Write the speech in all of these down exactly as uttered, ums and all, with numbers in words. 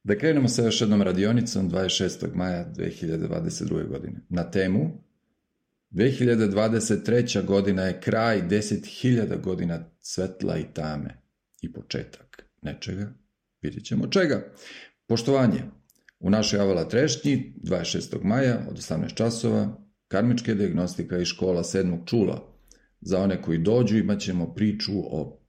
Da krenemo sa još jednom radionicom dvadeset šestog maja dve hiljade dvadeset druge. godine. Na temu dve hiljade dvadeset treća. godina je kraj deset hiljada godina svetla i tame i početak nečega. Vidjet ćemo čega. Poštovanje. U našoj Avala trešnji dvadeset šestog maja od osamnaest časova karmička dijagnostika i škola sedmog čula. Za one koji dođu imat ćemo priču o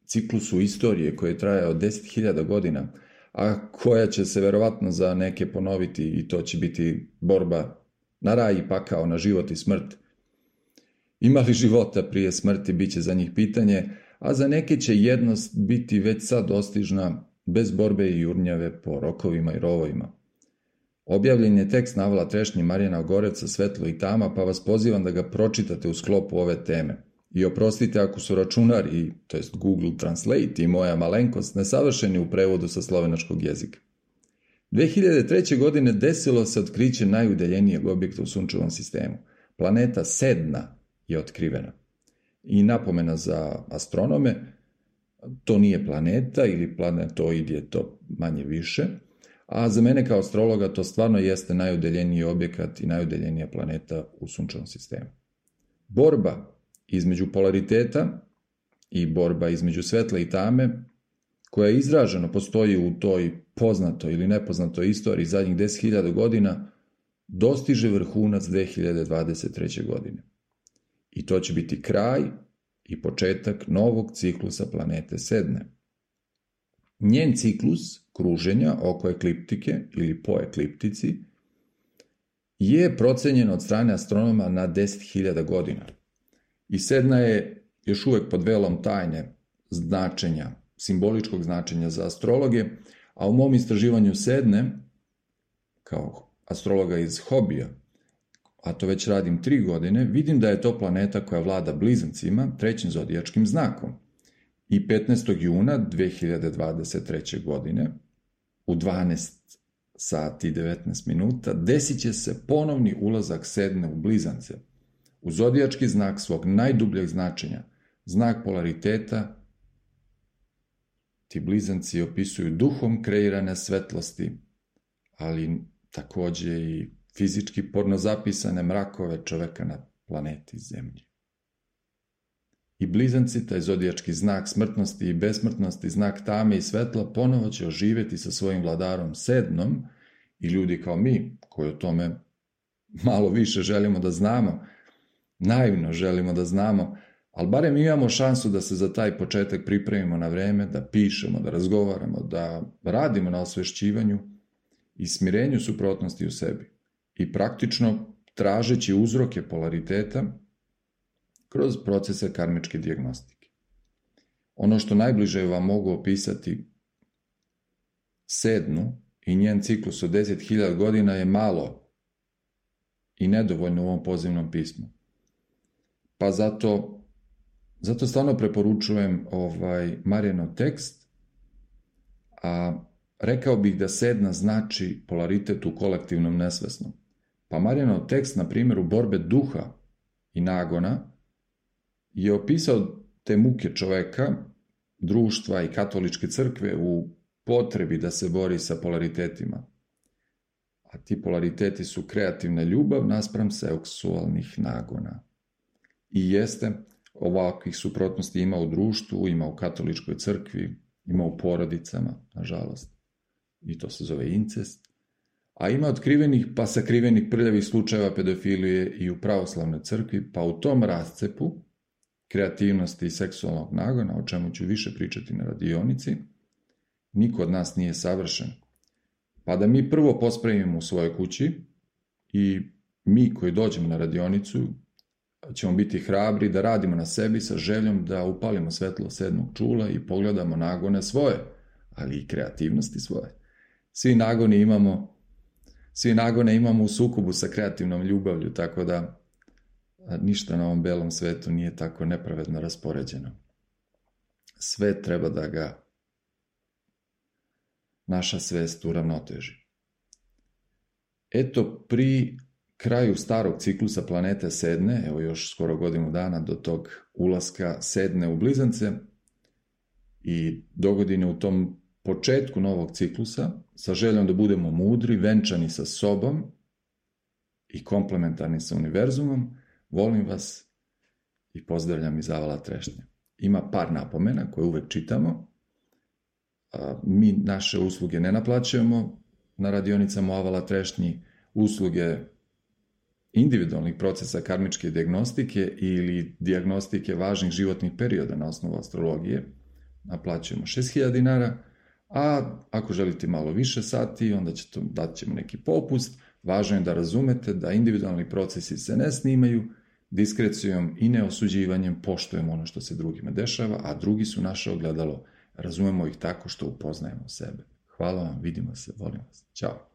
ciklusu istorije koji traje od deset hiljada godina, a koja će se verovatno za neke ponoviti i to će biti borba na raj i pakao, na život i smrt. Ima li života prije smrti, bit će za njih pitanje, a za neke će jednost biti već sad dostižna bez borbe i jurnjave po rokovima i rovovima. Objavljen je tekst na Avala trešnji Marijana Ogoreca Svetlo i tama, pa vas pozivam da ga pročitate u sklopu ove teme. I oprostite ako su računari, to jest Google Translate i moja malenkost, nesavršeni u prevodu sa slovenačkog jezika. dve hiljade treće. godine desilo se otkriće najudaljenijeg objekta u sunčevom sistemu. Planeta Sedna je otkrivena. I napomena za astronome, to nije planeta ili planetoid je to manje više, a za mene kao astrologa to stvarno jeste najudaljeniji objekat i najudaljenija planeta u sunčevom sistemu. Borba između polariteta i borba između svetla i tame, koja izraženo postoji u toj poznatoj ili nepoznatoj istoriji zadnjih deset hiljada godina, dostiže vrhunac dve hiljade dvadeset treće. godine. I to će biti kraj i početak novog ciklusa planete Sedne. Njen ciklus kruženja oko ekliptike ili po ekliptici je procenjen od strane astronoma na deset hiljada godina. I Sedna je još uvek pod velom tajne značenja, simboličkog značenja za astrologe, a u mom istraživanju Sedne, kao astrologa iz hobija, a to već radim tri godine, vidim da je to planeta koja vlada blizancima, trećim zodijačkim znakom. I petnaestog juna dve hiljade dvadeset treće. godine, u dvanaest sati i devetnaest minuta, desit će se ponovni ulazak Sedne u blizance, u zodijački znak svog najdubljeg značenja, znak polariteta. Ti blizanci opisuju duhom kreirane svetlosti, ali takođe i fizički porno zapisane mrakove čoveka na planeti Zemlji. I blizanci, taj zodijački znak smrtnosti i besmrtnosti, znak tame i svetla, ponovo će oživjeti sa svojim vladarom Sednom i ljudi kao mi, koji o tome malo više želimo da znamo, naivno želimo da znamo, ali barem imamo šansu da se za taj početak pripremimo na vreme, da pišemo, da razgovaramo, da radimo na osvešćivanju i smirenju suprotnosti u sebi. I praktično tražeći uzroke polariteta kroz procese karmičke dijagnostike. Ono što najbliže vam mogu opisati Sednu i njen ciklus od deset hiljada godina je malo i nedovoljno u ovom pozivnom pismu. Pa zato, zato stvarno preporučujem ovaj Marijanov tekst, a rekao bih da Sedna znači polaritet u kolektivnom nesvesnom. Pa Marijanov tekst, na primjeru borbe duha i nagona, je opisao te muke čoveka, društva i katoličke crkve u potrebi da se bori sa polaritetima. A ti polariteti su kreativna ljubav naspram seksualnih nagona. I jeste, ovakvih suprotnosti ima u društvu, ima u katoličkoj crkvi, ima u porodicama, nažalost. I to se zove incest. A ima otkrivenih pa sakrivenih prljavih slučajeva pedofilije i u pravoslavnoj crkvi, pa u tom rascepu kreativnosti i seksualnog nagona, o čemu ću više pričati na radionici, niko od nas nije savršen. Pa da mi prvo pospremimo u svojoj kući i mi koji dođemo na radionicu ćemo biti hrabri da radimo na sebi sa željom da upalimo svetlo sedmog čula i pogledamo nagone svoje, ali i kreativnosti svoje. Svi nagone imamo, svi nagone imamo u sukobu sa kreativnom ljubavlju, tako da ništa na ovom belom svetu nije tako nepravedno raspoređeno. Sve treba da ga naša svest uravnoteži. Eto, pri kraju starog ciklusa planete Sedne, evo još skoro godinu dana do tog ulaska Sedne u blizance i dogodine u tom početku novog ciklusa, sa željom da budemo mudri, venčani sa sobom i komplementarni sa univerzumom, volim vas i pozdravljam iz Avala Trešnje. Ima par napomena koje uvek čitamo. Mi naše usluge ne naplaćujemo na radionicama Avala Trešnji. Usluge individualnih procesa karmičke dijagnostike ili dijagnostike važnih životnih perioda na osnovu astrologije naplaćujemo šest hiljada dinara, a ako želite malo više sati, onda ćete, dat ćemo neki popust. Važno je da razumete da individualni procesi se ne snimaju, diskrecijom i neosuđivanjem poštujemo ono što se drugima dešava, a drugi su naše ogledalo. Razumemo ih tako što upoznajemo sebe. Hvala vam, vidimo se, volim vas. Ćao.